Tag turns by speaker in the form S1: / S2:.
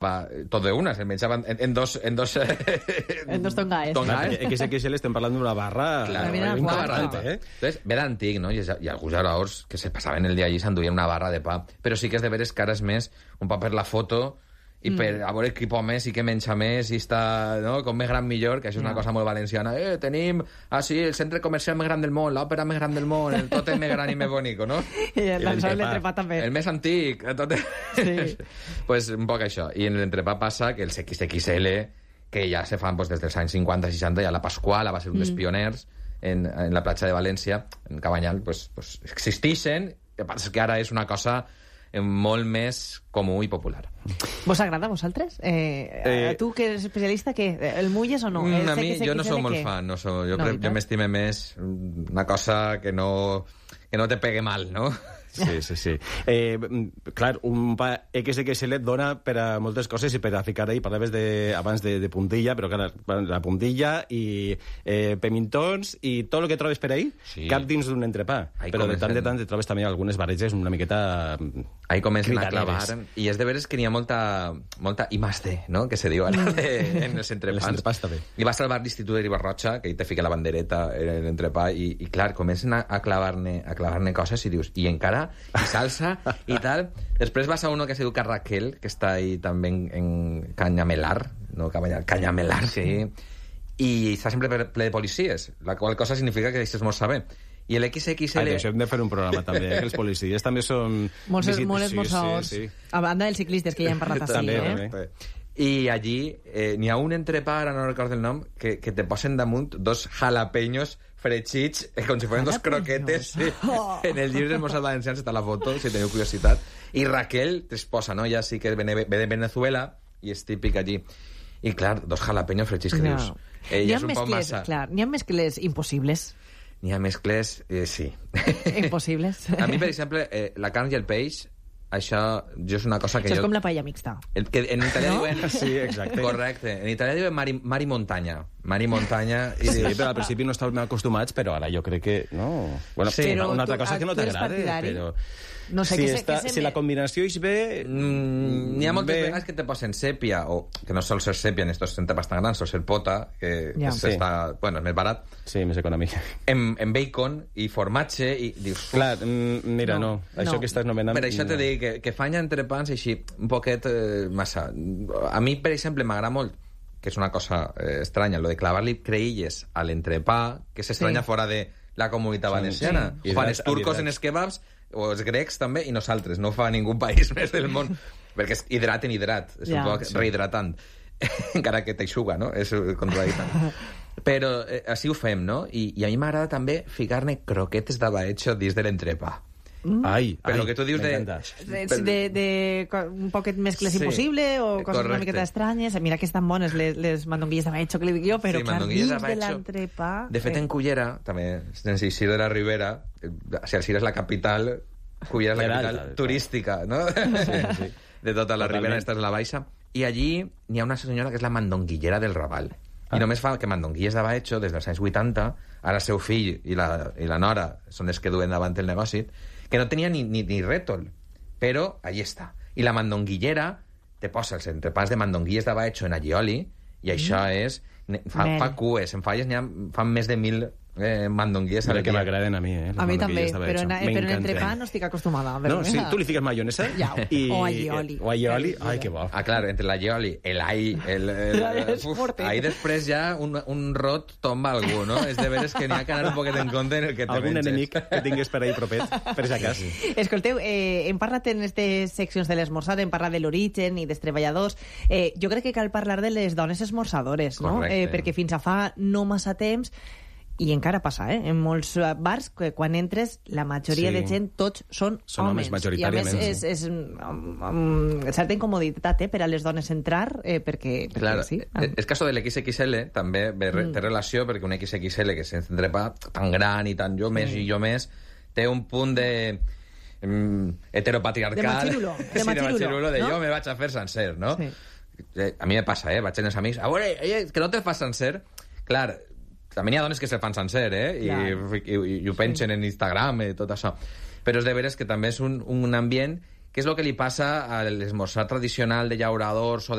S1: tot d'una, se'l menjaven en dos
S2: tongaes.
S3: XXL estem parlant d'una barra...
S1: Claro,
S2: una
S1: barra de pa. Entonces, ve d'antic, no? I alguns jugadors que se passaven el dia allí s'enduien una barra de pa. Però sí que és de veres que ara és més un pa per la foto i per a veure qui pot més i què menja més i està, no?, com més gran millor, que això és una cosa molt valenciana. Tenim, el centre comercial més gran del món, l'òpera més gran del món, el tòtem més gran i més bonico, no?
S2: I l'entrepà també.
S1: El més antic, tot...
S2: Sí.
S1: Pues un poc això. I en l'entrepà passa que els XXL, que ja se fan des dels anys 50-60, ja la Pasquala va ser un dels pioners en la platja de València, en Cabanyal, pues existeixen, el que passa és que ara és una cosa molt més comú i popular.
S2: Vos agrada a vosaltres? Tu, que eres especialista, què? El mulles o no?
S1: A mi, jo no soc molt fan. Jo m'estime més una cosa que no te pegue mal, no?
S3: Sí. Clar, un pa XXL dona per a moltes coses i per a ficar ahí, parlaves abans de puntilla, però clar, la puntilla i pemintons i tot el que trobes per ahí, cap dins d'un entrepà. Però de tant te trobes també algunes barreges una miqueta...
S1: Ahí comencen a clavar, i és de veres que n'hi ha molta I más D, no?, que se diu ara en els entrepans. I vas al bar d'Institut de Ribarroja, que hi te fica la bandereta en l'entrepà, i clar, comencen a clavar-ne coses i dius, i encara i salsa i tal. Després vas a uno que se diu Carraquel, que està ahí també en Canyamelar, no Canyamelar, sí. I està sempre ple de policies, la qual cosa significa que deixes molt saber. I l'XXL...
S3: Això hem de fer un programa també, que els policies també són...
S2: Molts esmorzadors. Sí. A banda dels ciclistes, que ja hem parlat així,
S3: també.
S1: I allí n'hi ha un entrepà, ara no recordo el nom, que te posen damunt dos jalapeños fregits, com si foren dos croquetes. Sí. En el llibre dels Mossos Valencians està la foto, si teniu curiositat. I Raquel t'esposa, no? Ja sí que ve de Venezuela i és típic allí. I clar, dos jalapeños fregits que dius...
S2: N'hi ha mescles, clar, n'hi ha mescles impossibles.
S1: N'hi ha mescles, sí.
S2: Impossibles.
S1: A mi, per exemple, la carn i el peix, això és una cosa que
S2: això és com la paella mixta.
S1: Que en italià diuen...
S3: Sí, exacte.
S1: Correcte. En italià diuen mar i muntanya. Mar i muntanya...
S3: Sí, però al principi no estàvem acostumats, però ara jo crec que... No. Bueno, sí, una altra cosa que no t'agrada, però...
S2: No sé,
S3: si la combinació és bé...
S1: N'hi ha moltes vegades que te posen sèpia, o que no sol ser sèpia en estos entrepans tan grans, sol ser pota, que està... Bueno, és més barat.
S3: Sí, més econòmic.
S1: En bacon i formatge, i dius...
S3: Clar, mira, no. Això que estàs nomenant...
S1: Per això te dic que fan entrepans així, un poquet massa. A mi, per exemple, m'agrada molt, que és una cosa estranya, lo de clavar-li creïlles a l'entrepà, que s'estranya fora de la comunitat valenciana. Ho fan els turcos en els kebabs, o els grecs també, i nosaltres. No ho fa ningú país més del món. Perquè és hidrat en hidrat. És un poc rehidratant. Encara que t'eixuga, no? És contradictant. Però així ho fem, no? I a mi m'agrada també ficar-ne croquetes de baetxo dins de l'entrepà. Però que tu dius
S2: de un poquet mescles impossible o coses una miqueta estranyes. Mira que estan bones les mandonguilles de baetxo que li dic jo, però clar, dins de l'entrepà...
S1: De fet, en Cullera, també, sense eixir de la Ribera, si Alcira és la capital, Cullera és la capital turística, no? Sí. De tota la Ribera, esta és la baixa. I allí n'hi ha una senyora que és la mandonguillera del Raval. I només fa que mandonguilles de baetxo des dels anys 80, ara el seu fill i la nora són els que duen davant el negoci, que no tenia ni rètol, però allí està. I la mandonguillera te posa els entrepans de mandonguilles de baetxo en allioli, i això és... Fa cues, en falles fan més de 1.000 mandonguilles al dia.
S3: Que m'agraden a mi,
S2: A mi també, però en entrepà no estic acostumada.
S3: No, sí, tu li fiques maionesa?
S2: O allioli.
S3: O allioli, ai, que bo.
S1: Clar, entre l'allioli, l'all... Ahí després ja un rot tomba algú, no? És de veres que n'hi ha que anar un poquet en compte en el que te menges.
S3: Algun enemic que tingues per ahí propet, per si acas.
S2: Escolteu, hem parlat en aquestes seccions de l'esmorzar, hem parlat de l'origen i dels treballadors. Jo crec que cal parlar de les dones esmorzadores, no? Perquè fins a fa no massa temps, i encara passa, en molts bars, que quan entres, la majoria de gent, tots són homes.
S3: Majoritàriament.
S2: I a més, és certa incomoditat per a les dones entrar, perquè sí.
S1: El cas de l'XXL també té relació, perquè un XXL que se'ns entrepa tan gran i tan jo més, té un punt de heteropatriarcal.
S2: De machirulo.
S1: De jo me vaig a fer sencer, no? Sí. A mi me passa, vaig amb els amics, a veure, que no te fas sencer. Clar, també hi ha dones que se fan sencer, i ho pengen en Instagram i tot això. Però és de veres que també és un ambient què és el que li passa a l'esmorzar tradicional de llauradors o de